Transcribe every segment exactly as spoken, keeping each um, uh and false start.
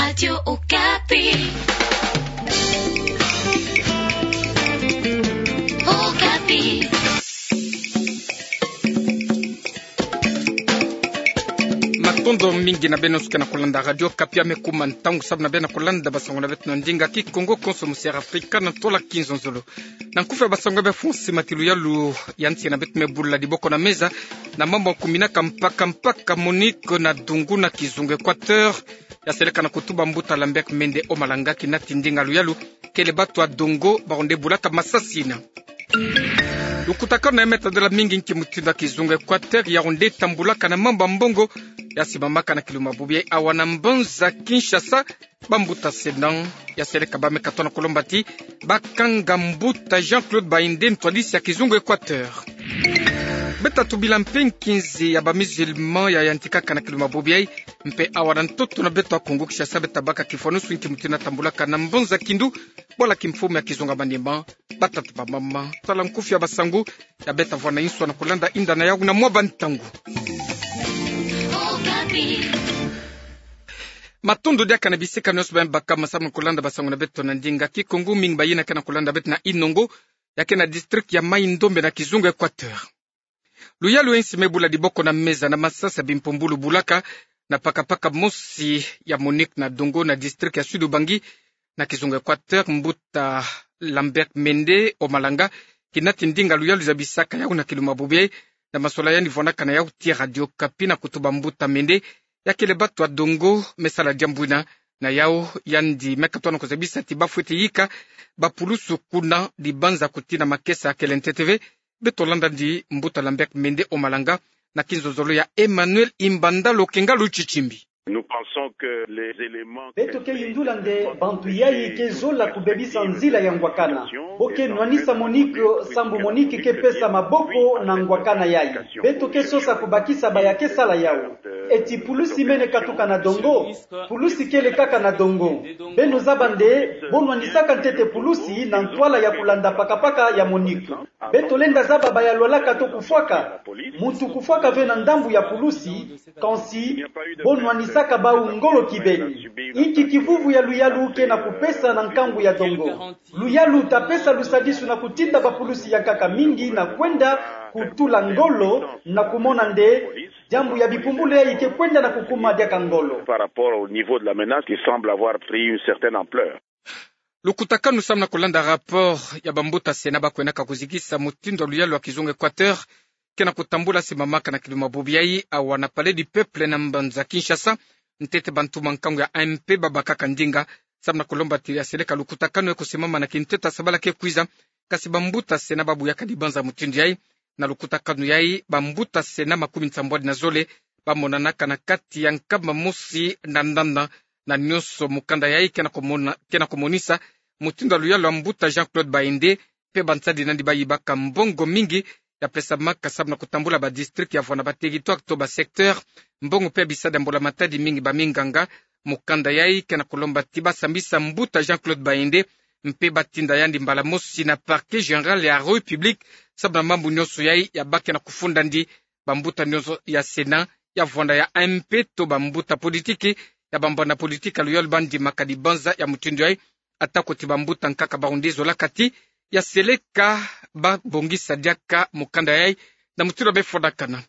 Radio Okapi. Okapi. Matondo mingi na beno nyonso ke na kolanda Radio Okapi. Ame kuma ntangu sababu na beno na kolanda basango na beto na ndinga Kikongo konso mu Sierra Afrika na ntwala kinzonzolo. Na nkufi ya basango ya be France, mati luyalu ya nsi na beto me bula diboko na meza na mambu ya kuminaka mpaka mpaka Monique na Dungu na kizunga Equateur. Ya seleka na kutuba mbuta Lambert Mende Omalanga, kina ti ndinga luyalu kele batu ya Dongo baronde bulaka masasi ina. Lukutakanu ya me tadela mingi nki mutindu ya kizunga Equateur ya ronde tambulaka na mambu ya mbongo ya simamaka na kiluma bubu yai awa na mbanza Kinshasa. Bambuta Sénat ya seleka ba me katoa na kolomba ti bakanga mbuta Jean-Claude Bainde, ntwadisi ya kizunga Equateur. Beta tubila mpe nkinzi ya ba musulmans ya yantikaka na kiluma bubu yai, mpe awa na ntoto na beto ya Kongo Kinshasa beta baka kifwanusu nki mutindu ya tambulaka na mbanza Kindu, bwala kimfumu ya kizunga Maniema. Batata, bamama, tala nkufi ya basango ya beta vwa na insu na kolanda inda na yau na mwa bantangu. Matondo diaka na bisika nyonso ba me baka masamu na kolanda basango na beto na ndinga Kikongo. Mingi bayina ke na kolanda beto na Inongo, ya ke na district ya Maï-Ndombe na kizunga Equateur. Luyalu ya nsi me bula diboko na meza na masasi ya bimpumbulu bulaka na pakapaka mosi ya Monique na Dongo na district ya Sud-Ubangi na kizunga Equateur. Mbuta Lambert Mende Omalanga, kina ti ndinga luyalu zabisaka yau na kiluma bubu yai, na masolani yandi vwanaka na yau ti Radio Okapi, na kutuba mbuta Mende ya kele batu ya Dongo me sala diambu ina. Na yau yandi me katoa na kozabisa ti bafweti yika bapulusu kuna dibanza kuti na makesa kele ntete ve. Beto landa ndi mbuta Lambert Mende Omalanga na kinzonzolo ya Emmanuel Imbanda Lokenga Lutshitshimbi. Beto ke yindula nde bantu yai ke zola kubebisa nzila ya ngwakana. Bo ke nwanisa Monique, sambu Monique ke pesa maboko na ngwakana yai. Beto ke sosa kubakisa baya ke sala yau. Eti pulusi mene katuka na Dongo? Pulusi kele kaka na Dongo. Beno zaba nde bo nwanisaka ntete pulusi na ntwala ya kolanda pakapaka ya Monique. Beto lenda zaba baya lwalaka to kufwaka. Muntu kufwaka ve na ndambu ya pulusi, kansi bo nwanisaka bau ngolo kibeni. Inki kivuvu ya luyalu ke na kupesa na nkangu ya Dongo? Luyalu ta pesa lusadisu na kutinda bapulusi ya nkaka mingi na kwenda kutula ngolo na kumona nde diambu ya bipumbulu yai ke kwenda na kukuma diaka ngolo. Par rapport au niveau de la menace qui semble avoir pris une certaine ampleur. Lukutakanu samu na kolanda rapport ya bambuta Sénat ba kwenaka kuzikisa mutindu ya luyalu ya kizunga Equateur ke na kutambula simamaka na kiluma bubu yai awa na Palais du Peuple na mbanza Kinshasa, ntete bantu ma nkangu ya A M P babakaka ndinga, samu na kolomba ti ya seleka lukutakanu yai kusimama na kintete ya sabala ke kwiza. Kasi bambuta Sénat ba buyaka dibanza mutindu yai. Na lukutakanu yai, bambuta Sénat makumi nsambwadi na zole ba monanaka na kati ya nkamba mosi na nana, na nyonso mukanda yai ke na kumona, ke na kumonisa mutindu ya luyalu ya mbuta Jean-Claude Bainde, mpe bansadi nandi ba yibaka mbongo mingi ya pesamaka samu na kutambula ba district ya vwanda ba territoire to ba secteur, mbongo mpe ya bisadi ya mbula matadi mingi ba minganga. Mukanda yai ke na kulomba ti ba sambisa mbuta Jean-Claude Bainde, mpe ba tinda yandi mbala mosi na Parquet Général ya République samu na mambu nyonso yai ya ba ke na kufunda ndi. Bambuta nyonso ya Sénat, ya vwanda ya M P to bambuta politiki, ya bambwana politiki ya luyalu ba ndimaka dibanza ya mutindu yai, atako ti bambuta nkaka bawu nde zolaka ti ya seleka ba bongisa diaka mukanda yai na mutindu ya befwanakana.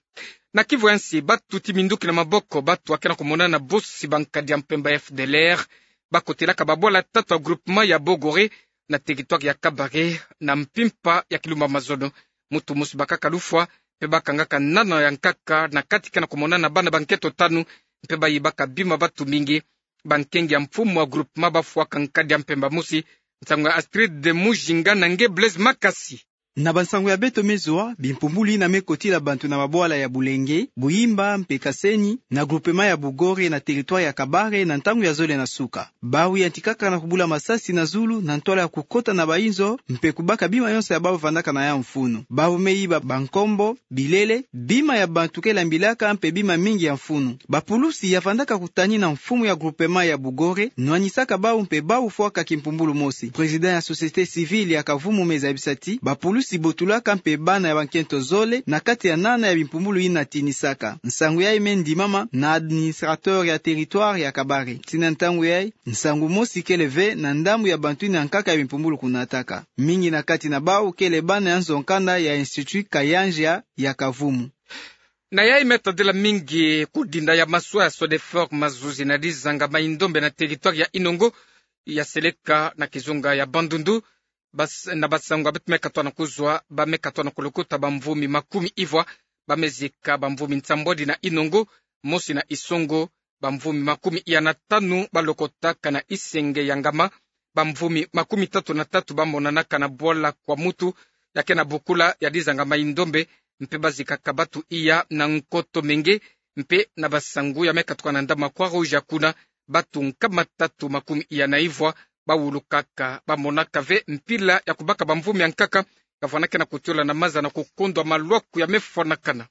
Na Kivu ya nsi, batuti minduki na maboko batu ba ke na kumonana bosi ba nkadi ya mpemba F D L R, ba kotelaka babwala tatu ya groupement ya Bogore na territoire ya Kabare na mpimpa ya kilumbu ya mazono. Mutu mosi bakaka lufwa, mpe ba kangaka nana ya nkaka na kati ke na kumonana bana ba nketo tanu, mpe ba yibaka bima batu mingi. Bankengi ya mfumu ya groupement ba fwaka nkadi ya mpemba mosi. Nsangu ya Astrid Mujinga na nge Blaise Makasi. Na bansangu ya beto me zwa, bimpumbulu yina me kotila bantu na mabwala ya Bulenge, Buyimba mpe Kaseni, na groupement ya Bugore na territoire ya Kabare na ntangu ya zole na suka. Bawu yantikaka na kubula masasi na zulu na ntwala ya kukota na bayinzo, mpe kubaka bima yonso ya bawu vandaka na ya mfunu. Bawu me yiba bankombo, bilele, bima ya bantu ke lambilaka mpe bima mingi ya mfunu. Bapulusi ya vandaka kutani na mfumu ya groupement ya Bugore nwanisaka bawu mpe bawu fwaka kimpumbulu mosi. Président ya société civile ya Kavumu me zabisa ti bapulusi mosi botulaka mpe bana ya bankento zole na kati ya nana ya bimpumbulu yina tinisaka. Nsangu yayi me ndimama na administrateur ya territoire ya Kabare. Tii na ntangu yayi, nsangu mosi kele ve na ndambu ya bantu yina nkaka ya bimpumbulu kunataka. Mingi na kati na bawu kele bana ya nzo-nkanda ya Institut Kayanja ya Kavumu. Na yayi me tadila mingi kudinda ya maswa ya Sodefort Mazuzi na dizanga Mai-Ndombe na territoire ya Inongo, ya seleka na kizunga ya Bandundu, bas-, na basangu ya beto me katoa na kuzwa, ba me katoa na kulukuta bamvumi makumi ivwa, ba me zika bamvumi nsambwadi na Inongo, mosi na Isongo, bamvumi makumi iya na tanu balokotaka na Isenge ya Ngama, bamvumi makumi tatu na tatu bamonanaka na bwala kwa mutu, ya ke na bokula ya dizanga Mai-Ndombe, mpe bazikaka batu iya na nkoto menge, mpe na basangu ya me katuka na ndambu ya Croix-Rouge ya kuna, batu nkama tatu makumi iya na ivwa bawulukaka, bamonaka ve mpila ya kubaka bamvumi ya nkaka, kavwandaka na kutiola na maza na kukondwa malwaku ya me fwanakana.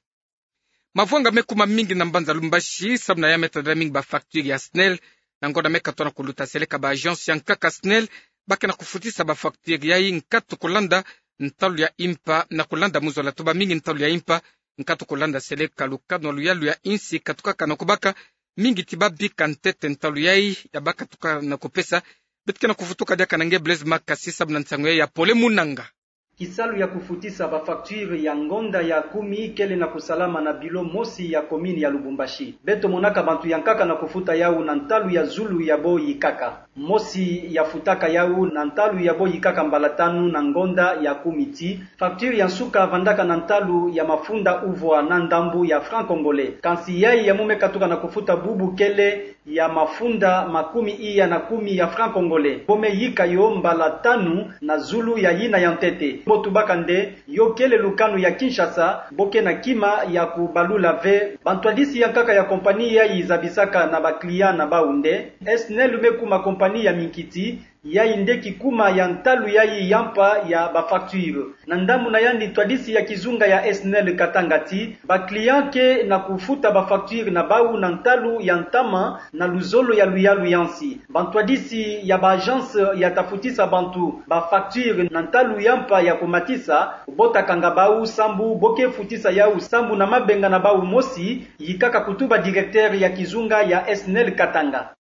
Mavwanga me kuma mingi na mbanza Lubumbashi, samu na ya me tadila mingi bafacture ya SNEL, na ngonda me katoa na kuluta seleka ba agence ya nkaka SNEL, ba ke na kufutisa bafacture yayi nkatu kulanda ntalu ya impa, na kulanda muzola tuba mingi ntalu ya impa, nkatu kulanda seleka lukanu ya luyalu ya insi katukaka na kubaka, mingi ti babika ntete ntalu yayi ya ba katuka na kupesa. Beto ke na kufutuka diaka na nge Blaise Makasi samu na nsangu yayi ya Pole Munanga. Kisalu ya kufutisa bafacture ya ngonda ya kumi kele na kusalama na bilo mosi ya commune ya Lubumbashi. Beto monaka bantu ya nkaka na kufuta yawu na ntalu ya zulu ya bo yikaka. Mosi ya futaka yawu na ntalu ya bo yikaka mbala tanu na ngonda ya kumi ti. Facture ya nsuka vandaka na ntalu ya mafunda uvwa na ndambu ya franc congolais. Kansi yayi ya mu me katuka na kufuta bubu kele ya mafunda makumi iya na kumi ya franc congolais. Bo me yika yo mbala tanu na zulu ya yina ya ntete. Bo tubaka nde, yo kele lukanu ya Kinshasa, bo ke na kima ya kubalula ve. Bantwadisi ya nkaka ya compagnie yayi zabisaka na ba client na bawu nde, SNEL me kuma compagnie ya minkiti, yayi nde kikuma ya ntalu yayi ya mpa ya bafacture. Na ndambu na yandi ntwadisi ya kizunga ya SNEL Katanga ti, ba client ke na kufuta bafacture na bawu na ntalu ya ntama na luzolo ya luyalu ya nsi. Bantwadisi ya ba agence ya ta futisa bantu bafacture na ntalu ya mpa ya kumatisa, bo ta kanga bawu sambu bo ke futisa yawu sambu na mabenga na bawu mosi, yikaka kutuba directeur ya kizunga ya SNEL Katanga.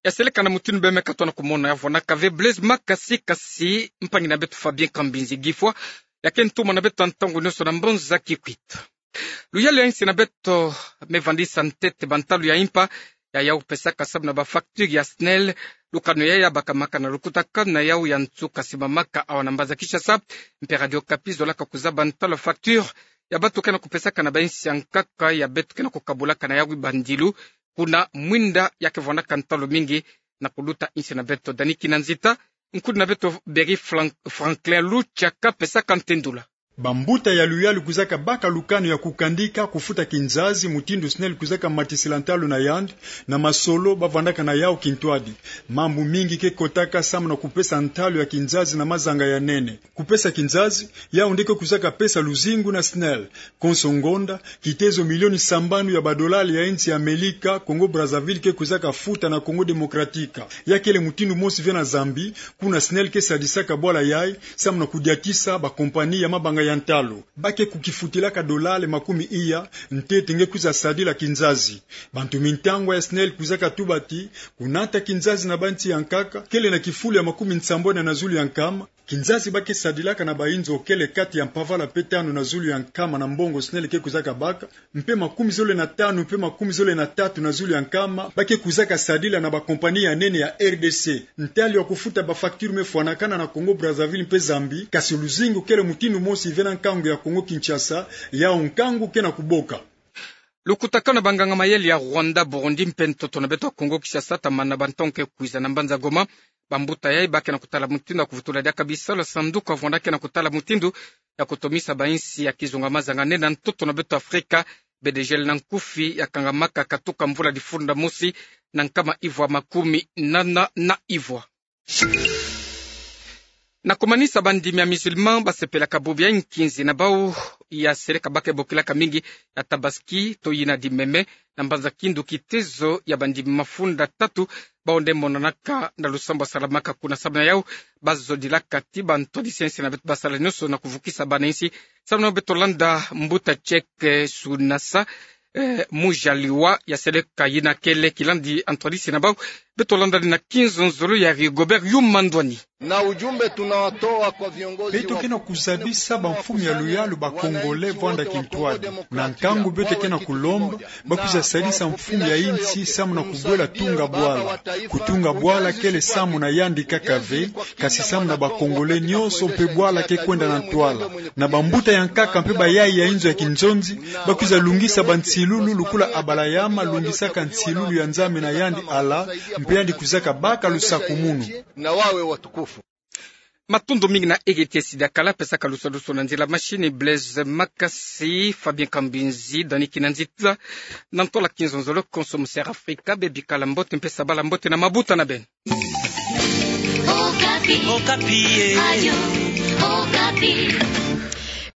Ya seleka na mutindu bê me katoa na kumona ya vwanaka ve Blaise Makasi, kasi mpangi na beto Fabien Kambinzi Gifwa ya ke ntumwa na beto ntangu nionso na mbanza Kikwit. Luyalu ya insi na beto me vandisa ntete bantalu ya impa ya ya kupesaka samu na bafacture ya SNEL. Lukanu ya ya bakamaka na lukutakanu na yawu ya nsuka simamaka awa na mbanza Kinshasa. Mpe Radio Okapi zolaka kuzaba ntalu ya facture ya bato ke na kupesaka na bainsi ya nkaka ya beto ke na kukabulaka na yawu bandilu kuna mwinda ya ke vwanaka ntalu mingi na kuluta insi na beto. Dani Kinanzita, nkudi na beto Berry Flan-, Franklin Lucha ka pesaka ntendula. Bambuta ya luyalu kwizaka baka lukanu ya kukandika kufuta kinzazi mutindu SNEL kwizaka matisila ntalu na yandi, na masolo ba vwandaka na yawu kintwadi. Mambu mingi ke kotaka samu na kupesa ntalu ya kinzazi na mazanga ya nene. Kupesa kinzazi, yawu nde ke kwizaka pesa luzingu na SNEL. Konso ngonda, kitezo milioni sambanu ya badolari ya insi ya Amelika, Congo Brazzaville ke kwizaka futa na Congo Démocratique. Ya kele mutindu mosi ve na Zambie, kuna SNEL ke sadisaka bwala yayi, samu na kudiatisa bakompani ya mabanga ya ntalu. Ba ke kukifutilaka dolari makumi iya, ntete nge kwiza sadila kinzazi. Bantu mintangwa ya SNEL kwizaka tuba ti, kunata kinzazi na bansi ya nkaka, kele na kifulu ya makumi nsambwadi na zulu ya nkama, kinzazi ba ke sadilaka na bainzo kele kati ya mpavala mpe tanu na zulu ya nkama na mbongo SNEL ke kwizaka baka, mpe makumi zole na tanu mpe makumi zole na tatu na zulu ya nkama ba ke kwizaka sadila na bakompani ya nene ya R D C. Ntalu ya kufuta bafacture me fwanakana na Congo Brazzaville mpe Zambie, kasi luzingu kele mutindu mosi ve na nkangu ya Congo Kinshasa, yawu nkangu ke na kuboka. Lukutakanu na banganga-mayele ya Rwanda, Burundi mpe ntoto na beto Congo Kinshasa ta mana bantongo ke kwiza na mbanza Goma. Bambuta yayi ba ke na kutala mutindu ya kuvutula diaka bisalu ya sanduku ya vwanda ke na kutala mutindu ya kutomisa bainsi ya kizunga mazanga nene na ntoto na beto Afrika, B D G L na nkufi ya kangamaka katuka mvula difunda mosi na nkama ivwa makumi nana na ivwa. Na kumanisa, bandimi ya musulman ba sepelaka bobo ya nkinzi na bawu ya seleka bake bokilaka mingi ya Tabaski, to yina di Meme, na mbanza kindu kitezo ya bandimi mafunda tatu, bawu nde monanaka na lusambulu Salamaka kuna. Sababu na yawu, bazodilaka ti bantwadisi ya insi na beto basala nyonso na kuvukisa bana insi. Sababu na yawu beto landa mbuta Cheikh Sunasa, eh, Mujaliwa, ya seleka yina kele kilandi antwadisi na bawu. Beto landa ni na kinzonzolo ya Rigobert Yuma Ndwani. Na ujumbe tunatoa kwa viongozi. Beto ke na kuzabisa bamfumu ya luyalu, ba Congolais vwanda kintwadi. Na nkangu beto ke na kulomba, bakwiza sadisa mfumu ya insi samu na kubwela tunga bwala. Kutunga bwala kele samu na yandi kaka ve, kasi samu na ba Congolais nyonso mpe bwala ke kwenda na ntwala. Na bambuta ya nkaka mpe bayayi ya inzo ya kinzonzi, bakwiza lungisa bansilulu lukula Abalayama alungisaka nsilulu ya Nzambi na yandi Allah, mpe yandi kwizaka baka lusakumunu. Na wawe watukufu. Matondo mingi na R T S diakala pesaka lusadusu na nzila machine Blaise Makasi, Fabien Kambinzi, Dani Kinanzitula, na ntwala kinzonzolo konso mu Ser Afrika, bebikala mbote mpe sabala mbote na mabuta na beno. Okapi. Okapi, eh. Radio Okapi.